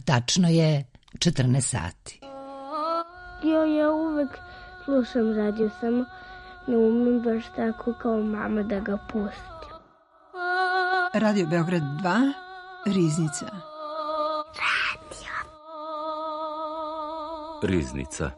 Tačno je 14 sati. Ja uvek slušam radio, samo ne umem baš tako kao mama da ga pustim. Radio Beograd 2, Riznica. Riznica.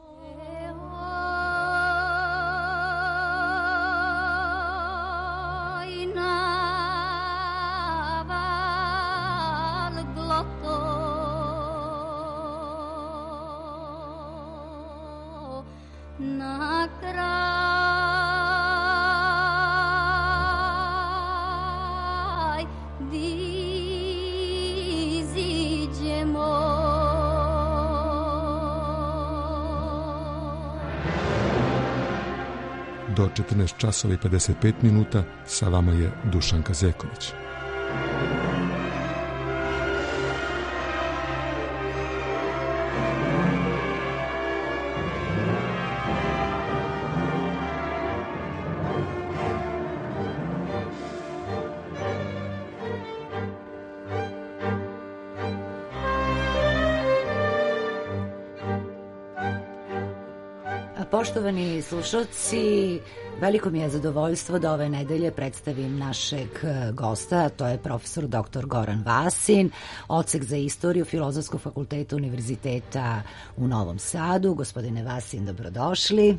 Do 14 časova i 55 minuta sa vama je Dušanka Zeković. Poštovani slušalci, veliko mi je zadovoljstvo da ove nedelje predstavim našeg gosta, to je profesor dr. Goran Vasin, odsek za istoriju Filozofskog fakulteta Univerziteta u Novom Sadu. Gospodine Vasin, dobrodošli.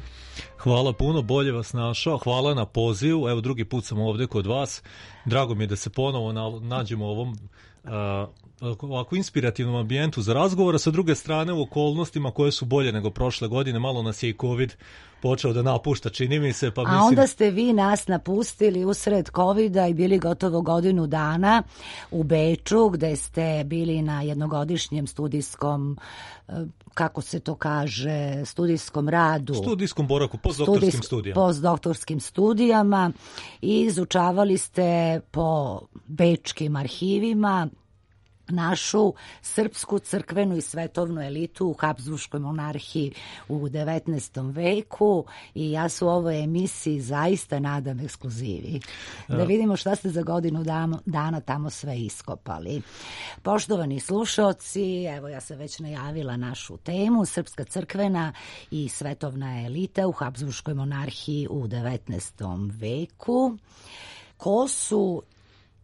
Hvala puno, bolje vas našao, hvala na pozivu, evo drugi put sam ovdje kod vas, drago mi je da se ponovo nađemo u ovom ovako inspirativnom ambijentu za razgovor, a sa druge strane u okolnostima koje su bolje nego prošle godine, malo nas je i COVID počeo da napušta, čini mi se. Pa mislim... A onda ste vi nas napustili usred COVID-a i bili gotovo godinu dana u Beču, gde ste bili na jednogodišnjem studijskom, kako se to kaže, studijskom radu. Studijskom boraku, postdoktorskim studijama. Postdoktorskim studijama i izučavali ste po bečkim arhivima našu srpsku crkvenu i svetovnu elitu u Habsburškoj monarhiji u 19. veku i ja se u ovoj emisiji zaista nadam ekskluzivi. Da vidimo šta ste za godinu dana tamo sve iskopali. Poštovani slušaoci, evo ja sam već najavila našu temu, srpska crkvena i svetovna elita u Habsburškoj monarhiji u 19. veku. Ko su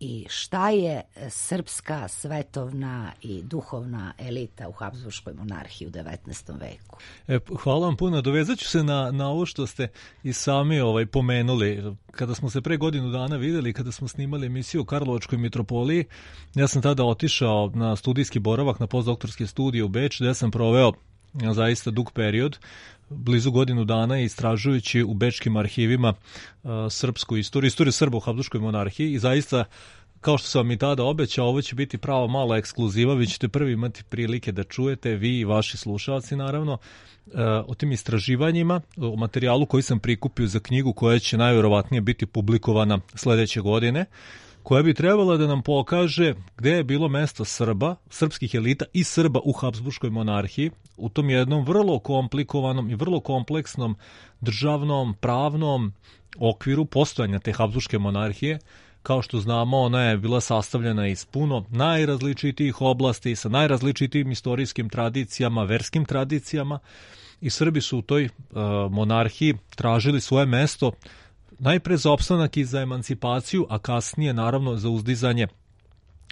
i šta je srpska svetovna i duhovna elita u Habsburškoj monarhiji u 19. veku? Hvala vam puno. Dovezat ću se na ovo što ste i sami pomenuli. Kada smo se pre godinu dana videli, kada smo snimali emisiju o Karlovačkoj mitropoliji, ja sam tada otišao na studijski boravak na postdoktorske studije u Beč, gde sam proveo zaista dug period, blizu godinu dana, istražujući u bečkim arhivima srpsku istoriju Srba u Habsburškoj monarhiji i zaista, kao što sam vam i tada obećao, ovo će biti prava mala ekskluziva, vi ćete prvi imati prilike da čujete, vi i vaši slušalci naravno, o tim istraživanjima, o materijalu koji sam prikupio za knjigu koja će najvjerovatnije biti publikovana sledeće godine, koja bi trebala da nam pokaže gde je bilo mesto Srba, srpskih elita i Srba u Habsburškoj monarhiji, u tom jednom vrlo komplikovanom i vrlo kompleksnom državnom, pravnom okviru postojanja te Habsburške monarhije. Kao što znamo, ona je bila sastavljena iz puno najrazličitijih oblasti, sa najrazličitijim istorijskim tradicijama, verskim tradicijama i Srbi su u toj monarhiji tražili svoje mesto najpre za opstanak i za emancipaciju, a kasnije naravno za uzdizanje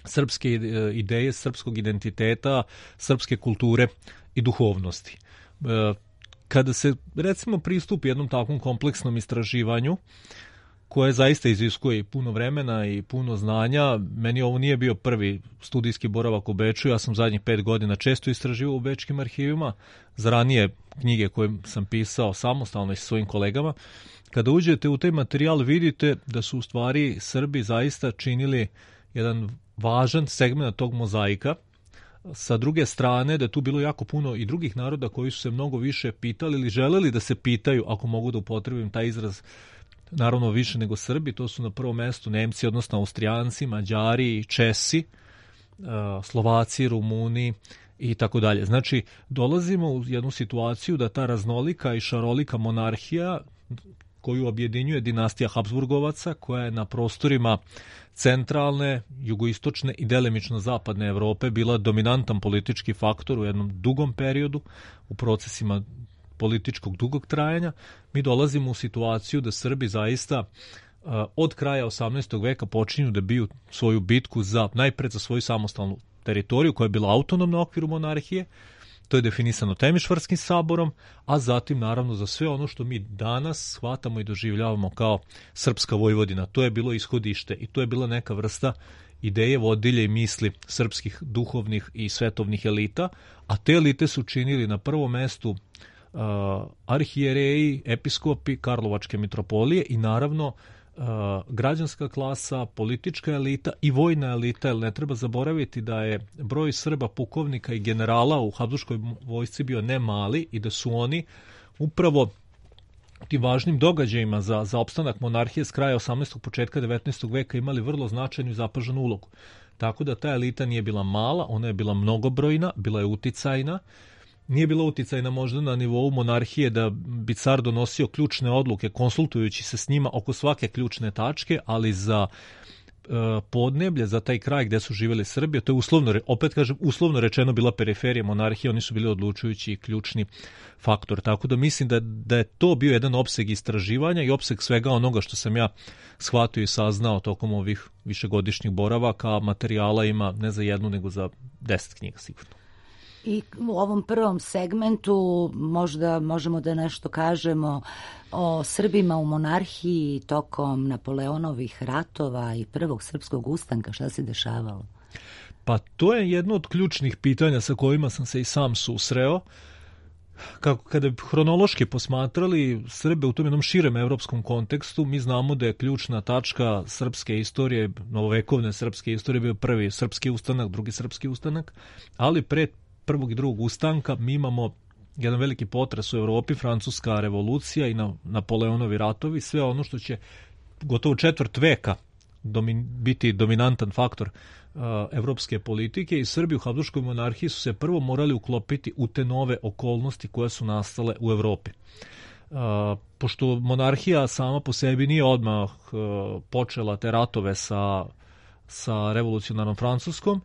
srpske ideje, srpskog identiteta, srpske kulture i duhovnosti. Kada se recimo pristupi jednom takvom kompleksnom istraživanju, koje zaista iziskuje i puno vremena i puno znanja, meni ovo nije bio prvi studijski boravak u Beču, ja sam zadnjih 5 godina često istraživao u bečkim arhivima, za ranije knjige koje sam pisao samostalno i sa svojim kolegama. Kada uđete u taj materijal vidite da su u stvari Srbi zaista činili jedan važan segment tog mozaika. Sa druge strane da je tu bilo jako puno i drugih naroda koji su se mnogo više pitali ili želeli da se pitaju, ako mogu da upotrebim taj izraz, naravno više nego Srbi, to su na prvom mestu Nemci, odnosno Austrijanci, Mađari, Česi, Slovaci, Rumuni i tako dalje. Znači, dolazimo u jednu situaciju da ta raznolika i šarolika monarhija koju objedinjuje dinastija Habsburgovaca, koja je na prostorima centralne, jugoistočne i delimično zapadne Evrope bila dominantan politički faktor u jednom dugom periodu, u procesima političkog dugog trajanja. Mi dolazimo u situaciju da Srbi zaista od kraja 18. veka počinju da biju svoju bitku najpred za svoju samostalnu teritoriju koja je bila autonomna u okviru monarhije. To je definisano Temišvarskim saborom, a zatim naravno za sve ono što mi danas shvatamo i doživljavamo kao srpska Vojvodina. To je bilo ishodište i to je bila neka vrsta ideje, vodilje i misli srpskih duhovnih i svetovnih elita, a te elite su činili na prvom mestu arhijereji, episkopi Karlovačke mitropolije i naravno građanska klasa, politička elita i vojna elita, jer ne treba zaboraviti da je broj Srba, pukovnika i generala u Habsburškoj vojsci bio ne mali i da su oni upravo tim važnim događajima za opstanak monarhije s kraja 18. početka 19. veka imali vrlo značajnu i zapaženu ulogu. Tako da ta elita nije bila mala, ona je bila mnogobrojna, bila je uticajna. Nije bila uticajna možda na nivou monarhije da bi car donosio ključne odluke konsultujući se s njima oko svake ključne tačke, ali za podneblje, za taj kraj gde su živjeli Srbi, to je uslovno rečeno bila periferija monarhije, oni su bili odlučujući i ključni faktor. Tako da mislim da je to bio jedan opseg istraživanja i opseg svega onoga što sam ja shvatio i saznao tokom ovih višegodišnjih boravaka. Materijala ima ne za jednu, nego za 10 knjiga sigurno. I u ovom prvom segmentu možda možemo da nešto kažemo o Srbima u monarhiji tokom Napoleonovih ratova i prvog srpskog ustanka. Šta se dešavalo? Pa to je jedno od ključnih pitanja sa kojima sam se i sam susreo. Kada bi hronološki posmatrali Srbe u tom jednom širem evropskom kontekstu, mi znamo da je ključna tačka srpske istorije, novovekovne srpske istorije, bio prvi srpski ustanak, drugi srpski ustanak, ali pre prvog i drugog ustanka mi imamo jedan veliki potres u Evropi, Francuska revolucija i Napoleonovi ratovi, sve ono što će gotovo četvrt veka biti dominantan faktor evropske politike i Srbi u Habsburškoj monarhiji su se prvo morali uklopiti u te nove okolnosti koje su nastale u Evropi. Pošto monarhija sama po sebi nije odmah počela te ratove sa revolucionarnom Francuskom,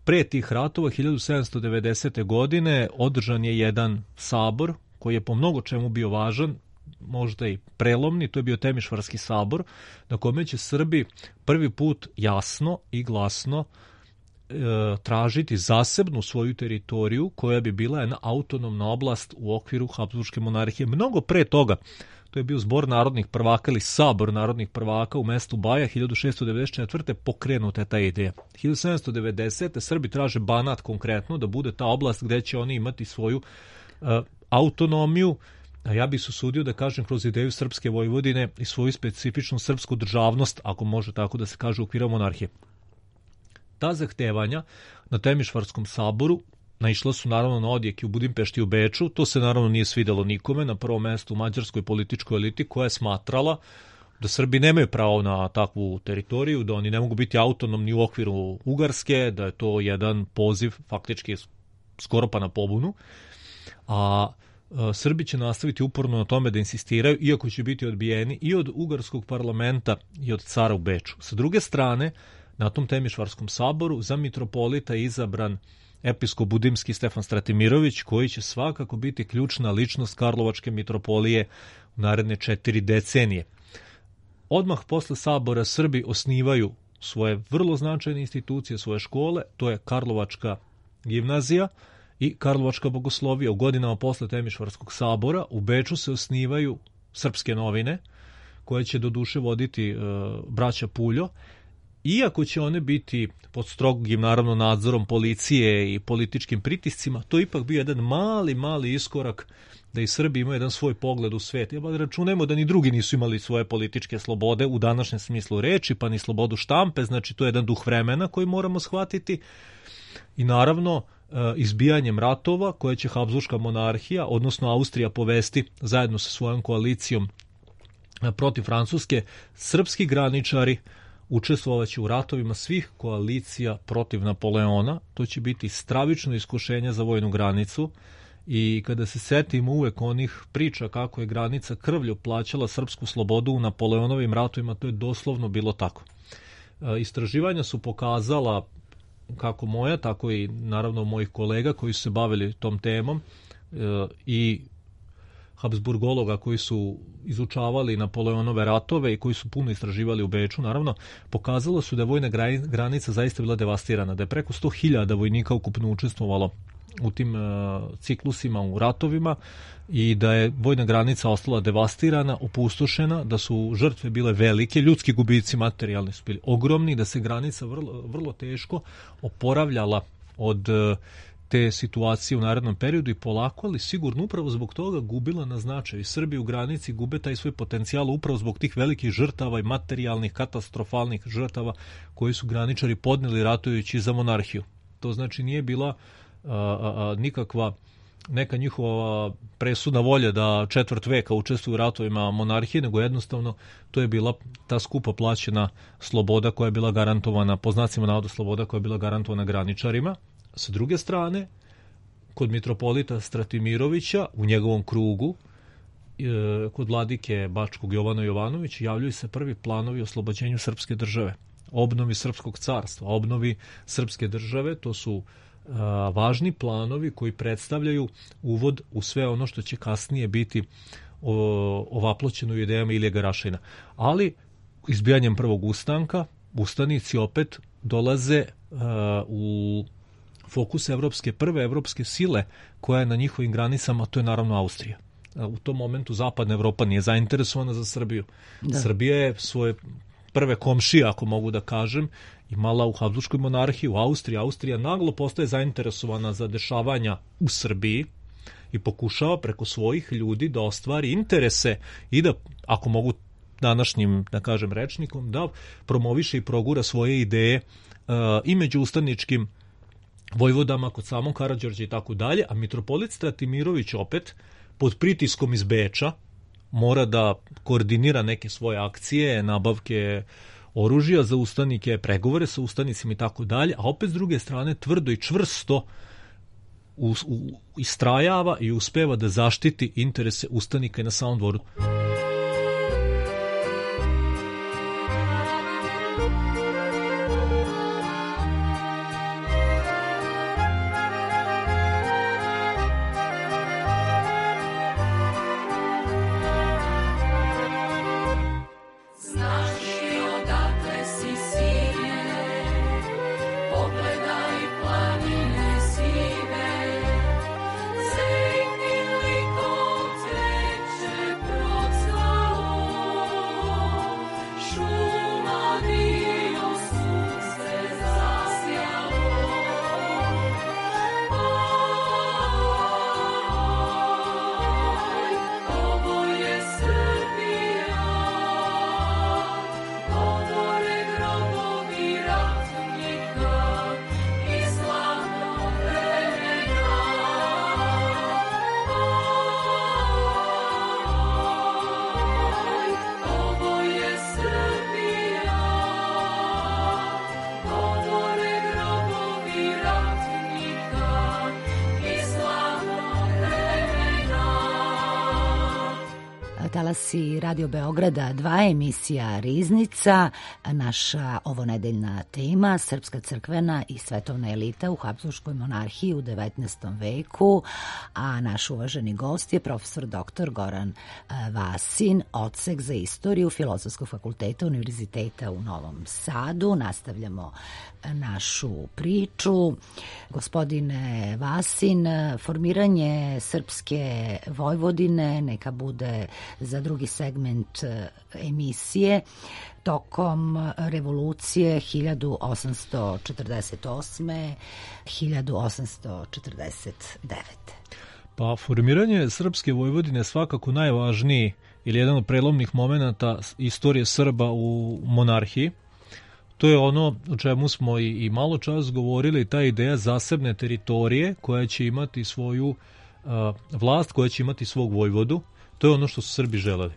pre tih ratova 1790. godine održan je jedan sabor koji je po mnogo čemu bio važan, možda i prelomni, to je bio Temišvarski sabor, na kome će Srbi prvi put jasno i glasno tražiti zasebnu svoju teritoriju koja bi bila jedna autonomna oblast u okviru Habsburške monarhije. Mnogo pre toga, to je bio zbor narodnih prvaka ili sabor narodnih prvaka u mestu Baja 1694. pokrenuta je ta ideja. 1790. Srbi traže Banat konkretno da bude ta oblast gde će oni imati svoju autonomiju, a ja bih se usudio da kažem kroz ideju srpske Vojvodine i svoju specifičnu srpsku državnost, ako može tako da se kaže u okviru monarhije. Ta zahtevanja na Temišvarskom saboru naišla su naravno na odjek u Budimpešti i u Beču. To se naravno nije svidelo nikome, na prvom mestu u mađarskoj političkoj eliti koja je smatrala da Srbi nemaju pravo na takvu teritoriju, da oni ne mogu biti autonomni u okviru Ugarske, da je to jedan poziv faktički skoro pa na pobunu. A Srbi će nastaviti uporno na tome da insistiraju, iako će biti odbijeni i od Ugarskog parlamenta i od cara u Beču. Sa druge strane, na tom Temišvarskom saboru za mitropolita je izabran episkop budimski Stefan Stratimirović, koji će svakako biti ključna ličnost Karlovačke mitropolije u naredne 4 decenije. Odmah posle sabora Srbi osnivaju svoje vrlo značajne institucije, svoje škole, to je Karlovačka gimnazija i Karlovačka bogoslovija. U godinama posle Temišvarskog sabora u Beču se osnivaju srpske novine, koje će doduše voditi braća Puljo, iako će one biti pod strogim naravno nadzorom policije i političkim pritiscima, to ipak bio jedan mali iskorak da i Srbi imaju jedan svoj pogled u svet. Računajmo da ni drugi nisu imali svoje političke slobode u današnjem smislu reči, pa ni slobodu štampe, znači to je jedan duh vremena koji moramo shvatiti. I naravno, izbijanjem ratova koje će Habsburška monarhija, odnosno Austrija povesti zajedno sa svojom koalicijom protiv Francuske, srpski graničari učestvovaće u ratovima svih koalicija protiv Napoleona. To će biti stravično iskušenje za vojnu granicu, I kada se setimo uvek onih priča kako je granica krvlju plaćala srpsku slobodu u Napoleonovim ratovima, to je doslovno bilo tako. Istraživanja su pokazala, kako moja, tako i naravno mojih kolega koji su se bavili tom temom i Habsburgologa koji su izučavali Napoleonove ratove i koji su puno istraživali u Beču, naravno, pokazalo su da je vojna granica zaista bila devastirana, da je preko 100.000 vojnika ukupno učestvovalo u tim ciklusima, u ratovima, i da je vojna granica ostala devastirana, opustošena, da su žrtve bile velike, ljudski gubici materijalni su bili ogromni, da se granica vrlo teško oporavljala od te situacije u narednom periodu i polako, ali sigurno upravo zbog toga gubila na značaju. I Srbi u granici gube taj svoj potencijal upravo zbog tih velikih žrtava i materijalnih, katastrofalnih žrtava koji su graničari podneli ratujući za monarhiju. To znači nije bila nikakva neka njihova presudna volja da četvrt veka učestvuju u ratovima monarhije, nego jednostavno to je bila ta skupo plaćena sloboda koja je bila garantovana, po znacima navoda sloboda koja je bila garantovana graničarima. Sa druge strane, kod mitropolita Stratimirovića, u njegovom krugu, kod vladike Bačkog Jovana Jovanovića, javljaju se prvi planovi o oslobođenju srpske države, obnovi srpskog carstva, obnovi srpske države. To su važni planovi koji predstavljaju uvod u sve ono što će kasnije biti ovaploćeno u idejama Ilije Garašina. Ali izbijanjem prvog ustanka, ustanici opet dolaze u fokus prve evropske sile koja je na njihovim granicama, to je naravno Austrija. U tom momentu zapadna Evropa nije zainteresovana za Srbiju. Da. Srbija je svoje prve komšije, ako mogu da kažem, imala u Habsburškoj monarhiji, u Austriji. Austrija naglo postaje zainteresovana za dešavanja u Srbiji i pokušava preko svojih ljudi da ostvari interese i da, ako mogu današnjim, da kažem, rečnikom, da promoviše i progura svoje ideje i među ustaničkim vojvodama kod samog Karađorđa i tako dalje, a mitropolit Stratimirović opet pod pritiskom iz Beča mora da koordinira neke svoje akcije, nabavke oružja za ustanike, pregovore sa ustanicima i tako dalje, a opet s druge strane tvrdo i čvrsto istrajava i uspeva da zaštiti interese ustanika i na samom dvoru. Talasi Radio Beograda 2, emisija Riznica. Naša ovonedeljna tema, srpska crkvena i svetovna elita u Habsburškoj monarhiji u 19. veku, a naš uvaženi gost je profesor dr. Goran Vasin, odsek za istoriju Filozofskog fakulteta Univerziteta u Novom Sadu. Nastavljamo našu priču. Gospodine Vasin, formiranje srpske Vojvodine neka bude za drugi segment emisije tokom revolucije 1848. 1849. Pa formiranje srpske Vojvodine je svakako najvažniji ili jedan od prelomnih momenata istorije Srba u monarhiji. To je ono o čemu smo i malo čas govorili, ta ideja zasebne teritorije koja će imati svoju vlast, koja će imati svog vojvodu. To je ono što su Srbi želeli.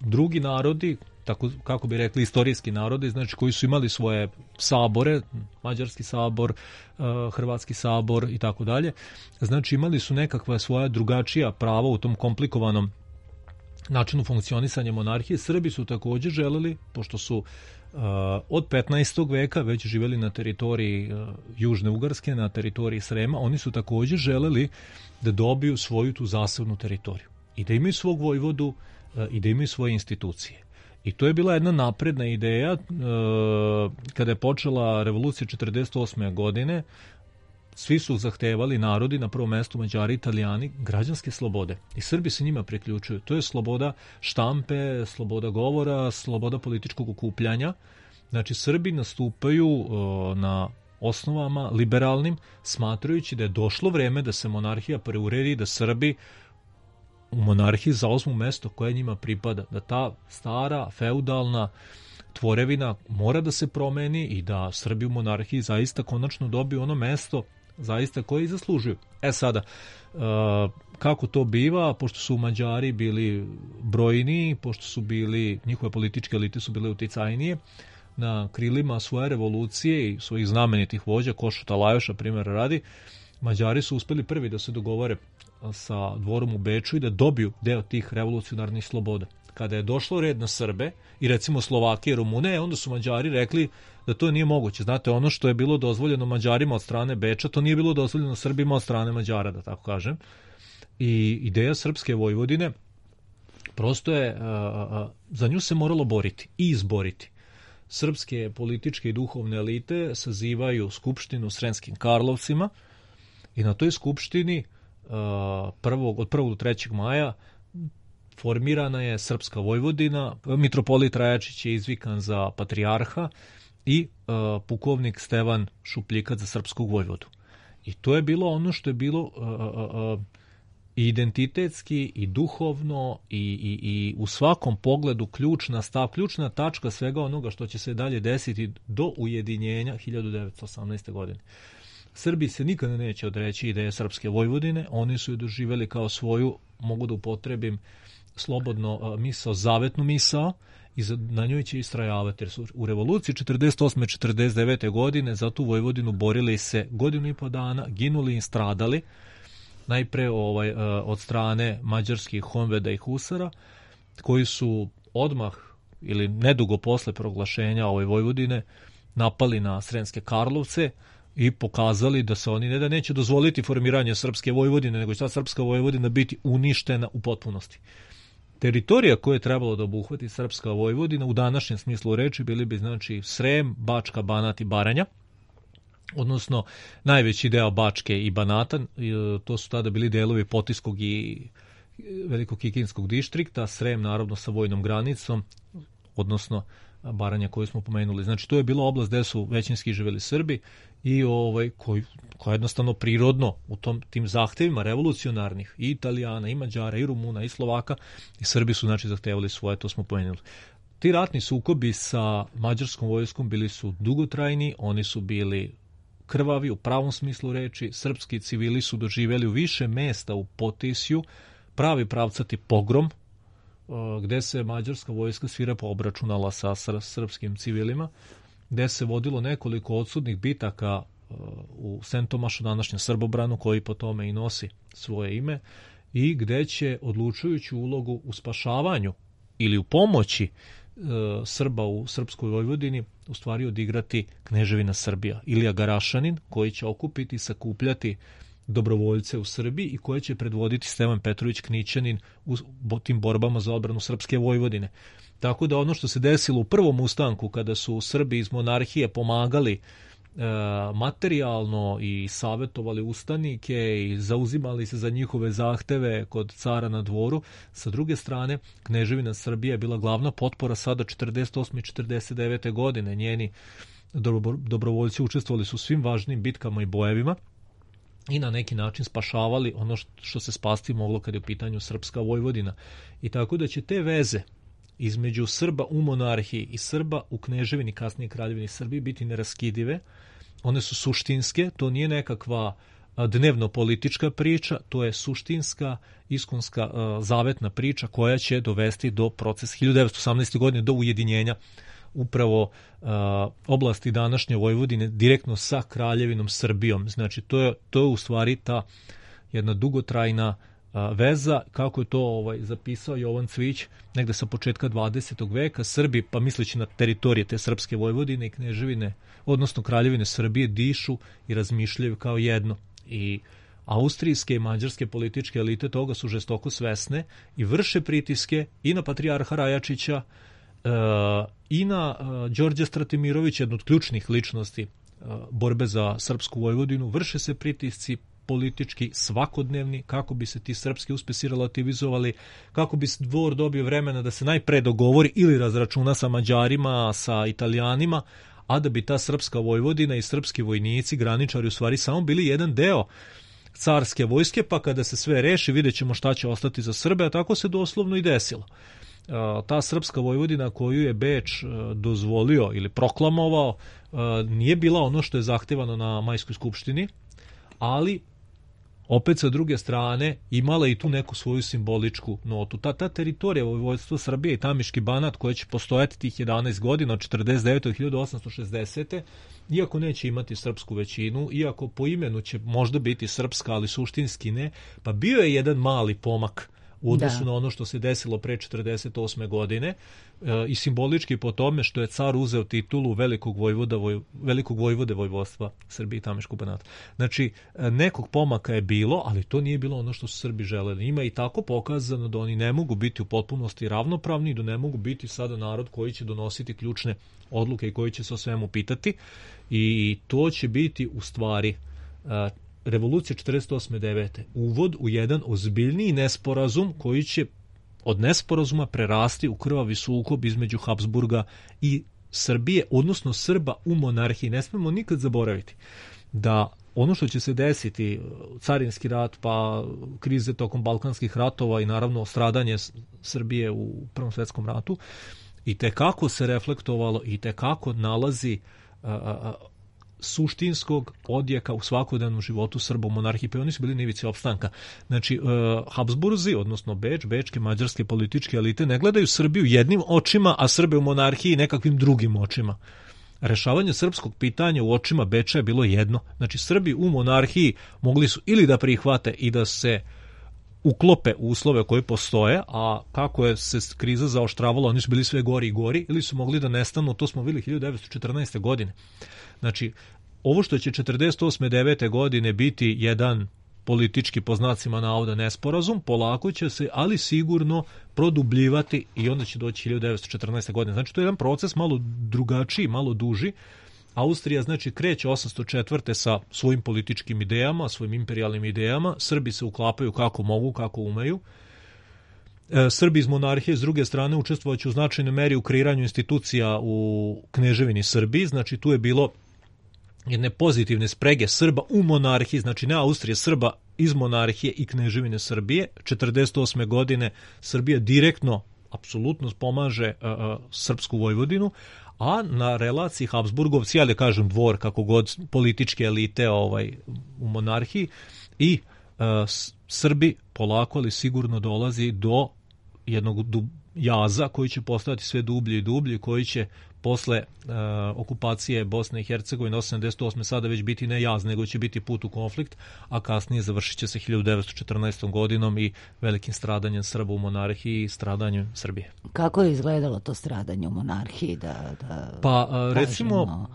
Drugi narodi, tako kako bi rekli istorijski narodi, znači koji su imali svoje sabore, Mađarski sabor, Hrvatski sabor i tako dalje. Znači imali su nekakva svoja drugačija prava u tom komplikovanom načinu funkcionisanja monarhije. Srbi su također želeli, pošto su od 15. veka već živjeli na teritoriji Južne Ugarske, na teritoriji Srema, oni su također želeli da dobiju svoju tu zasebnu teritoriju i da imaju svog vojvodu i da imaju svoje institucije. I to je bila jedna napredna ideja kada je počela revolucija 48. godine. Svi su zahtevali, narodi, na prvom mestu Mađari, Italijani, građanske slobode. I Srbi se njima priključuju. To je sloboda štampe, sloboda govora, sloboda političkog okupljanja. Znači, Srbi nastupaju na osnovama liberalnim, smatrajući da je došlo vreme da se monarhija preuredi, da Srbi u monarhiji zauzmu mesto koje njima pripada. Da ta stara, feudalna tvorevina mora da se promeni i da Srbi u monarhiji zaista konačno dobiju ono mesto zaista koje i zaslužuju. Sada, kako to biva, pošto su Mađari bili brojni, pošto su bili, njihove političke elite su bile uticajnije, na krilima svoje revolucije i svojih znamenitih vođa, Košuta Lajoša, primjer radi, Mađari su uspeli prvi da se dogovore sa dvorom u Beču i da dobiju deo tih revolucionarnih sloboda. Kada je došlo red na Srbe i recimo Slovake i Rumune, onda su Mađari rekli da to nije moguće. Znate, ono što je bilo dozvoljeno Mađarima od strane Beča, to nije bilo dozvoljeno Srbima od strane Mađara, da tako kažem. I ideja srpske Vojvodine prosto je, za nju se moralo boriti i izboriti. Srpske političke i duhovne elite sazivaju skupštinu u Sremskim Karlovcima i na toj skupštini od 1. do 3. maja formirana je Srpska Vojvodina, mitropolit Rajačić je izvikan za patrijarha i pukovnik Stevan Šupljikac za srpskog vojvodu. I to je bilo ono što je bilo i identitetski i duhovno i u svakom pogledu ključna tačka svega onoga što će se dalje desiti do ujedinjenja 1918. godine. Srbi se nikada neće odreći ideje Srpske Vojvodine, oni su je doživjeli kao svoju, mogu da upotrebim slobodno misao, zavetnu misao, i na njoj će istrajavati, jer su u revoluciji 48. 49. godine za tu Vojvodinu borili se 1.5 godina, ginuli i stradali, najpre od strane mađarskih honveda i husara, koji su odmah ili nedugo posle proglašenja ove Vojvodine napali na Sremske Karlovce i pokazali da se oni ne da neće dozvoliti formiranje Srpske Vojvodine, nego će ta Srpska Vojvodina biti uništena u potpunosti. Teritorija koje je trebalo da obuhvati Srpska Vojvodina u današnjem smislu reči bili bi znači Srem, Bačka, Banat i Baranja, odnosno najveći deo Bačke i Banata, to su tada bili delovi Potiskog i Velikog Kikinskog dištrikta, Srem naravno sa vojnom granicom, odnosno Baranja koju smo pomenuli. Znači to je bila oblast gde su većinski živjeli Srbi i koja jednostavno prirodno u tim zahtevima revolucionarnih i Italijana, i Mađara, i Rumuna, i Slovaka, i Srbi su znači zahtevali svoje, to smo pomenuli. Ti ratni sukobi sa mađarskom vojskom bili su dugotrajni, oni su bili krvavi u pravom smislu reči, srpski civili su doživjeli u više mesta u Potisju pravi pravcati pogrom, gde se mađarska vojska svirepo obračunala sa srpskim civilima, gde se vodilo nekoliko odsudnih bitaka u Sentomašu, današnjem Srbobranu, koji po tome i nosi svoje ime, i gde će odlučujuću ulogu u spašavanju ili u pomoći Srba u Srpskoj Vojvodini u stvari odigrati Kneževina Srbija, Ilija Garašanin, koji će okupiti i sakupljati dobrovoljce u Srbiji i koje će predvoditi Stevan Petrović Knićanin u tim borbama za odbranu Srpske Vojvodine. Tako da ono što se desilo u prvom ustanku, kada su Srbi iz monarhije pomagali materijalno i savjetovali ustanike i zauzimali se za njihove zahteve kod cara na dvoru, sa druge strane Kneževina Srbija je bila glavna potpora sada 48. i 49. godine. Njeni dobrovoljci učestvovali su u svim važnim bitkama i bojevima i na neki način spašavali ono što se spasti moglo kad je u pitanju Srpska Vojvodina. I tako da će te veze između Srba u monarhiji i Srba u Kneževini, kasnije Kraljevini Srbiji, biti neraskidive. One su suštinske, to nije nekakva dnevno politička priča, to je suštinska, iskonska, zavetna priča koja će dovesti do procesa 1918. godine, do ujedinjenja upravo oblasti današnje Vojvodine direktno sa Kraljevinom Srbijom. Znači, to je u stvari ta jedna dugotrajna veza, kako je to zapisao Jovan Cvić negde sa početka 20. veka. Srbi, pa misleći na teritorije te srpske Vojvodine i Kneževine, odnosno Kraljevine Srbije, dišu i razmišljaju kao jedno. I austrijske i mađarske političke elite toga su žestoko svesne i vrše pritiske i na patrijarha Rajačića i na Đorđa Stratimirovića, jednu od ključnih ličnosti borbe za srpsku Vojvodinu. Vrše se pritisci politički svakodnevni kako bi se ti srpski uspesi relativizovali, kako bi dvor dobio vremena da se najpre dogovori ili razračuna sa Mađarima, sa Italijanima, a da bi ta srpska Vojvodina i srpski vojnici, graničari u stvari samo bili jedan deo carske vojske, pa kada se sve reši vidjet ćemo šta će ostati za Srbe, a tako se doslovno i desilo. Ta srpska Vojvodina koju je Beč dozvolio ili proklamovao nije bila ono što je zahtevano na Majskoj skupštini, ali opet sa druge strane imala i tu neku svoju simboličku notu. Ta teritorija vojvodstva Srbije i Tamiški Banat koja će postojati tih 11 godina od 49. do 1860. iako neće imati srpsku većinu, iako po imenu će možda biti srpska, ali suštinski ne, pa bio je jedan mali pomak u odnosu na ono što se desilo pre 48. godine i simbolički po tome što je car uzeo titulu velikog vojvode vojvodstva Srbije i Tamiškog Banata. Znači, nekog pomaka je bilo, ali to nije bilo ono što su Srbi želeli. Ima i tako pokazano da oni ne mogu biti u potpunosti ravnopravni, da ne mogu biti sada narod koji će donositi ključne odluke i koji će se o svemu pitati. I to će biti u stvari revolucija 48.9. uvod u jedan ozbiljniji nesporazum koji će od nesporazuma prerasti u krvavi sukob između Habsburga i Srbije, odnosno Srba u monarhiji. Ne smemo nikad zaboraviti da ono što će se desiti, carinski rat, pa krize tokom Balkanskih ratova i naravno stradanje Srbije u Prvom svjetskom ratu, i tekako se reflektovalo i tekako nalazi suštinskog odjeka u svakodnevnom životu Srba u monarhiji, pa oni su bili na ivici opstanka. Znači, Habsburzi, odnosno bečke, mađarske političke elite ne gledaju Srbiju jednim očima, a Srbe u monarhiji nekakvim drugim očima. Rešavanje srpskog pitanja u očima Beča je bilo jedno. Znači, Srbi u monarhiji mogli su ili da prihvate i da se uklope u uslove koji postoje, a kako je se kriza zaoštravala, oni su bili sve gori i gori, ili su mogli da nestanu, to smo vidjeli 1914. godine. Znači, ovo što će 48.9. godine biti jedan politički, po znacima navoda, nesporazum, polako će se, ali sigurno produbljivati i onda će doći 1914. godine. Znači, to je jedan proces malo drugačiji, malo duži. Austrija, znači, kreće 804. sa svojim političkim idejama, svojim imperijalnim idejama. Srbi se uklapaju kako mogu, kako umeju. Srbi iz monarhije, s druge strane, učestvovaće u značajnoj meri u kreiranju institucija u Kneževini Srbiji. Znači, tu je bilo jedne pozitivne sprege Srba u monarhiji, znači ne Austrije, Srba iz monarhije i Kneževine Srbije. 48. godine Srbija direktno, apsolutno pomaže srpsku Vojvodinu, a na relaciji Habsburgovci, ja da kažem dvor, kako god, političke elite u monarhiji i Srbi polako, ali sigurno dolazi do jednog jaza koji će postojati sve dublje i dublje, koji će posle okupacije Bosne i Hercegovine 1988. sada već biti ne jaz, nego će biti put u konflikt, a kasnije završit će se 1914. godinom i velikim stradanjem Srba u monarhiji i stradanjem Srbije. Kako je izgledalo to stradanje u monarhiji? Recimo,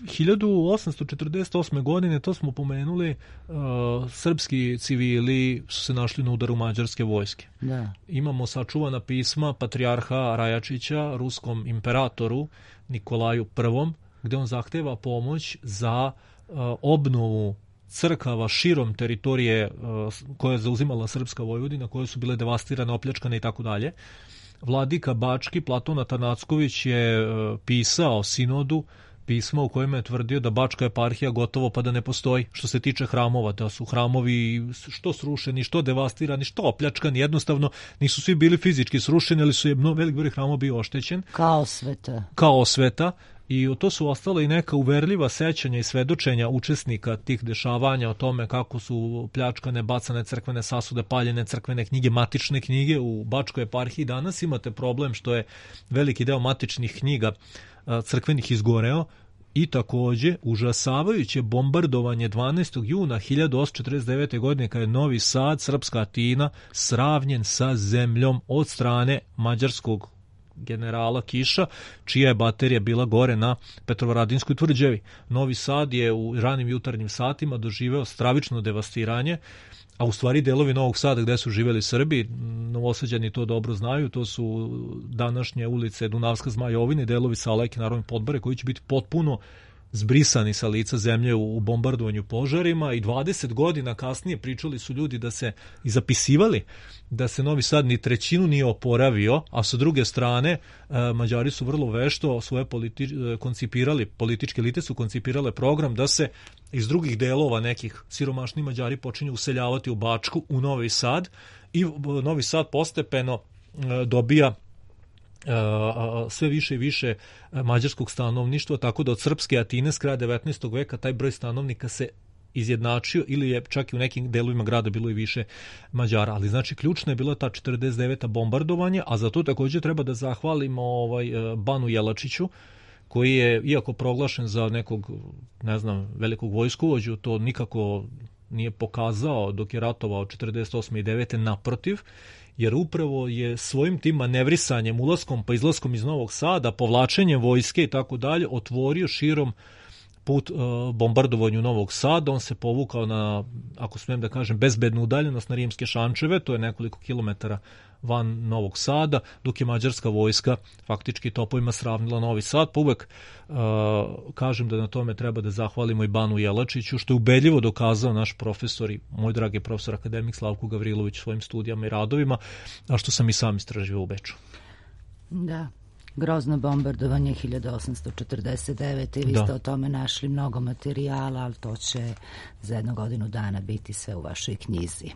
1848. godine, to smo pomenuli, srpski civili su se našli na udaru mađarske vojske. Da. Imamo sačuvana pisma patrijarha Rajačića ruskom imperatoru Nikolaju I, gde on zahteva pomoć za obnovu crkava širom teritorije koje je zauzimala srpska Vojvodina, koje su bile devastirane, opljačkane i tako dalje. Vladika Bački, Platon Atanacković, je pisao sinodu pismo u kojem je tvrdio da Bačka eparhija gotovo pa da ne postoji što se tiče hramova, da su hramovi što srušeni, što devastirani, što opljačkani, jednostavno nisu svi bili fizički srušeni, ali su velik broj hramova bio oštećen. Kao osveta. i to su ostale i neka uverljiva sećanja i svedočenja učesnika tih dešavanja o tome kako su pljačkane, bacane crkvene sasude, paljene crkvene knjige, matične knjige u Bačkoj eparhiji. Danas imate problem što je veliki deo matičnih knjiga crkvenih izgoreo i takođe užasavajuće bombardovanje 12. juna 1849. godine kada je Novi Sad, srpska Atina, sravnjen sa zemljom od strane mađarskog generala Kiša, čija je baterija bila gore na Petrovaradinskoj tvrđavi. Novi Sad je u ranim jutarnjim satima doživeo stravično devastiranje, a u stvari delovi Novog Sada gde su živeli Srbi, Novosađani to dobro znaju, to su današnje ulice Dunavska Zmajovina i delovi Salajke, Narodne Podbare, koji će biti potpuno zbrisani sa lica zemlje u bombardovanju požarima, i 20 godina kasnije pričali su ljudi da se i zapisivali da se Novi Sad ni trećinu nije oporavio, a sa druge strane Mađari su vrlo vešto svoje koncipirali, političke elite su koncipirale program da se iz drugih delova nekih siromašnih Mađari počinju useljavati u Bačku, u Novi Sad, i Novi Sad postepeno dobija sve više i više mađarskog stanovništva, tako da od srpske Atine s kraja 19. veka taj broj stanovnika se izjednačio, ili je čak i u nekim delovima grada bilo i više Mađara. Ali znači ključna je bila ta 49. bombardovanje, a za to također treba da zahvalimo Banu Jelačiću, koji je, iako proglašen za nekog, ne znam, velikog vojskovođu, to nikako nije pokazao dok je ratovao 48. i 9. naprotiv, jer upravo je svojim tim manevrisanjem, ulaskom pa izlaskom iz Novog Sada, povlačenjem vojske i tako dalje, otvorio širom put bombardovanju Novog Sada. On se povukao na, ako smijem da kažem, bezbednu udaljenost na Rimske Šančeve, to je nekoliko kilometara van Novog Sada, dok je mađarska vojska faktički topovima sravnila Novi Sad. Pa uvek kažem da na tome treba da zahvalimo i Banu Jelačiću, što je ubedljivo dokazao naš profesor i moj dragi profesor akademik Slavko Gavrilović svojim studijama i radovima, a što sam i sam istraživao u Beču. Da, grozno bombardovanje 1849. i vi ste o tome našli mnogo materijala, ali to će za 1 godinu dana biti sve u vašoj knjizi.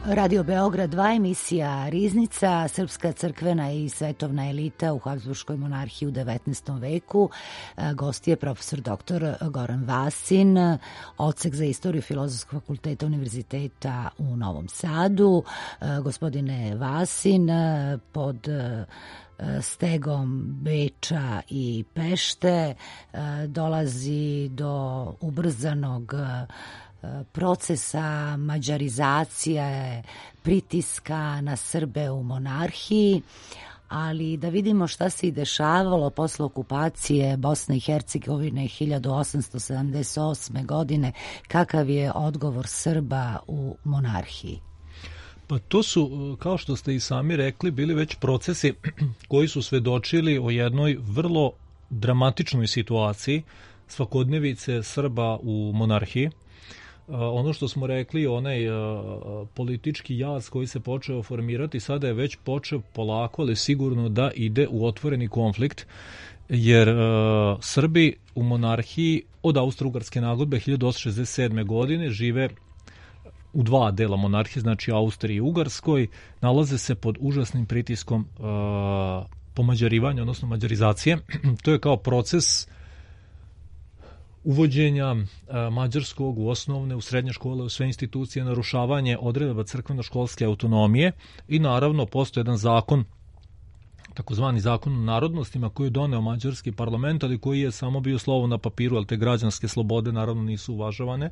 Radio Beograd 2, emisija Riznica, srpska crkvena i svetovna elita u Habsburškoj monarhiji u 19. veku. Gost je profesor dr. Goran Vasin, odsek za istoriju Filozofskog fakulteta Univerziteta u Novom Sadu. Gospodine Vasin, pod stegom Beča i Pešte dolazi do ubrzanog procesa mađarizacije, pritiska na Srbe u monarhiji, ali da vidimo šta se i dešavalo posle okupacije Bosne i Hercegovine 1878. godine, kakav je odgovor Srba u monarhiji. Pa to su, kao što ste i sami rekli, bili već procesi koji su svedočili o jednoj vrlo dramatičnoj situaciji svakodnevice Srba u monarhiji. ono što smo rekli, onaj politički jaz koji se počeo formirati, sada je već počeo polako, ali sigurno da ide u otvoreni konflikt, jer Srbi u monarhiji od Austro-Ugarske nagodbe 1867. godine žive u dva dela monarhije, znači Austriji i Ugarskoj, nalaze se pod užasnim pritiskom pomađarivanja, odnosno mađarizacije. To je kao proces uvođenja mađarskog u osnovne, u srednje škole, u sve institucije, narušavanje odredaba crkveno-školske autonomije i naravno postoji jedan zakon, takozvani zakon o narodnostima, koji je doneo mađarski parlament, ali koji je samo bio slovo na papiru, ali te građanske slobode naravno nisu uvažavane.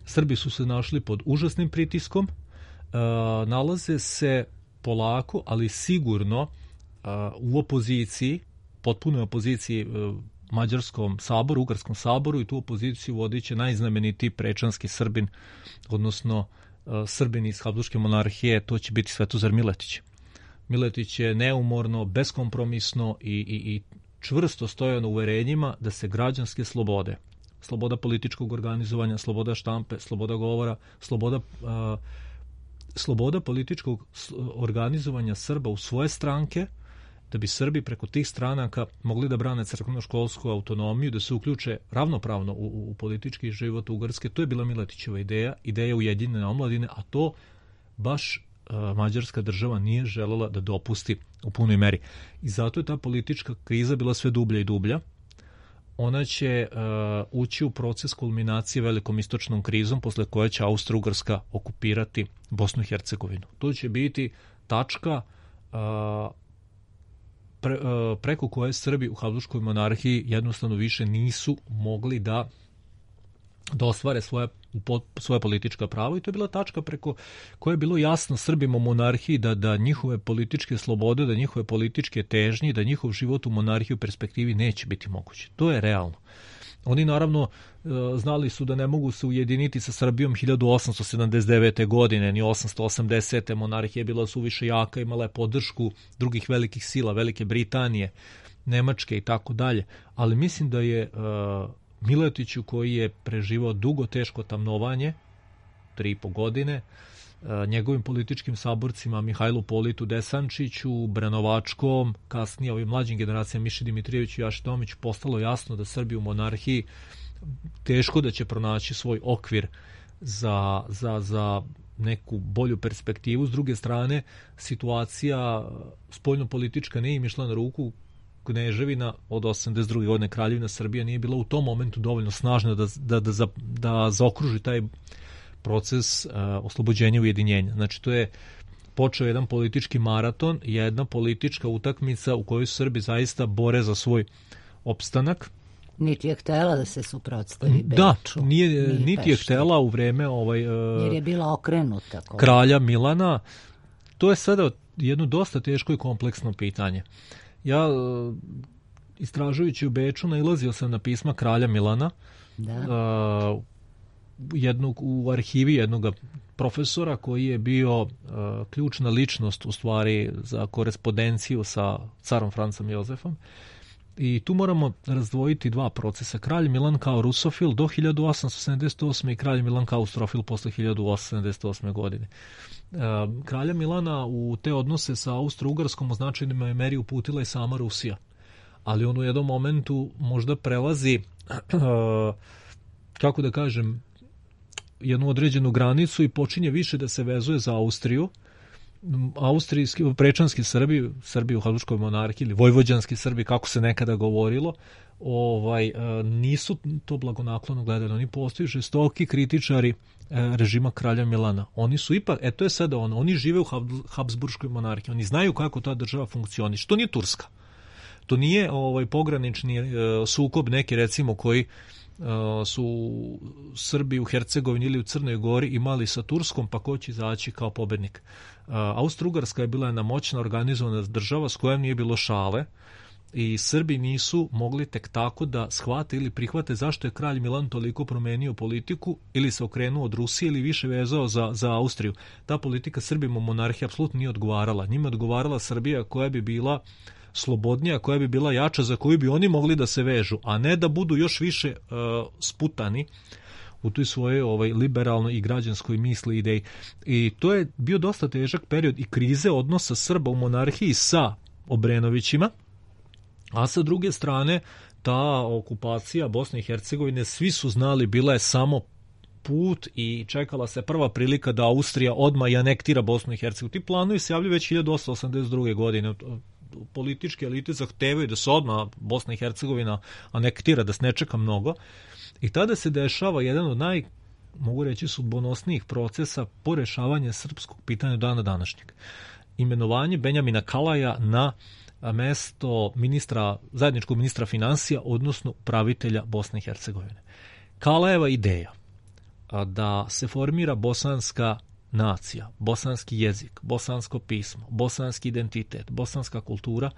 Srbi su se našli pod užasnim pritiskom, nalaze se polako, ali sigurno u opoziciji, potpunoj opoziciji Mađarskom saboru, Ugarskom saboru, i tu opoziciju vodit će najznamenitiji prečanski Srbin, odnosno Srbin iz Habsburške monarhije, to će biti Svetozar Miletić. Miletić je neumorno, beskompromisno i čvrsto stojao na uverenjima da se građanske slobode, sloboda političkog organizovanja, sloboda štampe, sloboda govora, sloboda političkog organizovanja Srba u svoje stranke, da bi Srbi preko tih stranaka mogli da brane crkveno-školsku autonomiju, da se uključe ravnopravno u politički život Ugarske. To je bila Miletićeva ideja ujedinjene omladine, a to baš Mađarska država nije želela da dopusti u punoj meri. I zato je ta politička kriza bila sve dublja i dublja. Ona će ući u proces kulminacije velikom istočnom krizom, posle koje će Austro-Ugarska okupirati Bosnu i Hercegovinu. To će biti tačka preko koje Srbi u Habsburškoj monarhiji jednostavno više nisu mogli da ostvare svoje politička prava, i to je bila tačka preko koje je bilo jasno Srbima u monarhiji da njihove političke slobode, da njihove političke težnje, da njihov život u monarhiji u perspektivi neće biti moguće. To je realno. Oni naravno znali su da ne mogu se ujediniti sa Srbijom 1879. godine, ni 880. Monarhija bila suviše jaka, imala je podršku drugih velikih sila, Velike Britanije, Nemačke i tako dalje. Ali mislim da je Miletiću, koji je preživao dugo teško tamnovanje, 3,5 godine, njegovim političkim saborcima Mihajlu Politu Desančiću, Branovačkom, kasnije ovim mlađim generacijama Miši Dimitrijeviću i Jaši Tomiću, postalo jasno da Srbi u monarhiji teško da će pronaći svoj okvir za neku bolju perspektivu. S druge strane, situacija spoljnopolitička nije im išla na ruku. Kneževina od 82. godine, Kraljevina Srbija, nije bila u tom momentu dovoljno snažna da zaokruži taj proces oslobođenja i ujedinjenja. Znači, to je počeo jedan politički maraton, jedna politička utakmica u kojoj Srbi zaista bore za svoj opstanak. Niti je htela da se suprotstavi Beču. Da, niti je htela u vreme jer je bila okrenuta kralja Milana. To je sada jedno dosta teško i kompleksno pitanje. Ja, istražujući u Beču, nailazio sam na pisma kralja Milana, u arhivi jednog profesora koji je bio ključna ličnost u stvari za korespondenciju sa carom Francom Jozefom. I tu moramo razdvojiti dva procesa. Kralj Milan kao rusofil do 1878. i kralj Milan kao austrofil posle 1878. godine. Kralja Milana u te odnose sa Austro-Ugarskom u značajnoj meri uputila i sama Rusija. Ali on u jednom momentu možda prelazi, kako da kažem, jednu određenu granicu i počinje više da se vezuje za Austriju. Austrijski, prečanski Srbi u Habsburškoj monarhiji ili vojvođanski Srbi, kako se nekada govorilo, nisu to blagonaklono gledali. Oni postaju žestoki kritičari režima kralja Milana. Oni su ipak, to je sada oni žive u Habsburškoj monarhiji. Oni znaju kako ta država funkcioniše. To nije Turska. To nije pogranični sukob neki, recimo, koji su Srbi u Hercegovini ili u Crnoj Gori imali sa Turskom, pa ko će izaći kao pobednik. Austro-Ugarska je bila jedna moćna organizovana država s kojom nije bilo šale i Srbi nisu mogli tek tako da shvate ili prihvate zašto je kralj Milan toliko promenio politiku ili se okrenuo od Rusije ili više vezao za Austriju. Ta politika Srbima u monarhiji apsolutno nije odgovarala. Njima odgovarala Srbija koja bi bila slobodnija, koja bi bila jača, za koju bi oni mogli da se vežu, a ne da budu još više sputani u toj svojoj liberalnoj i građanskoj misli i ideji. I to je bio dosta težak period i krize odnosa Srba u monarhiji sa Obrenovićima, a sa druge strane ta okupacija Bosne i Hercegovine, svi su znali, bila je samo put i čekala se prva prilika da Austrija odmah i anektira Bosnu i Hercegovinu. Ti planovi se javljaju već 1882. godine. Političke elite zahtevaju da se odmah Bosna i Hercegovina anektira, da se ne čeka mnogo. I tada se dešava jedan od mogu reći, sudbonosnijih procesa po rešavanju srpskog pitanja dana današnjeg. Imenovanje Benjamina Kalaja na mesto zajedničkog ministra finansija, odnosno upravitelja Bosne i Hercegovine. Kalajeva ideja da se formira bosanska nacija, bosanski jezik, bosansko pismo, bosanski identitet, bosanska kultura,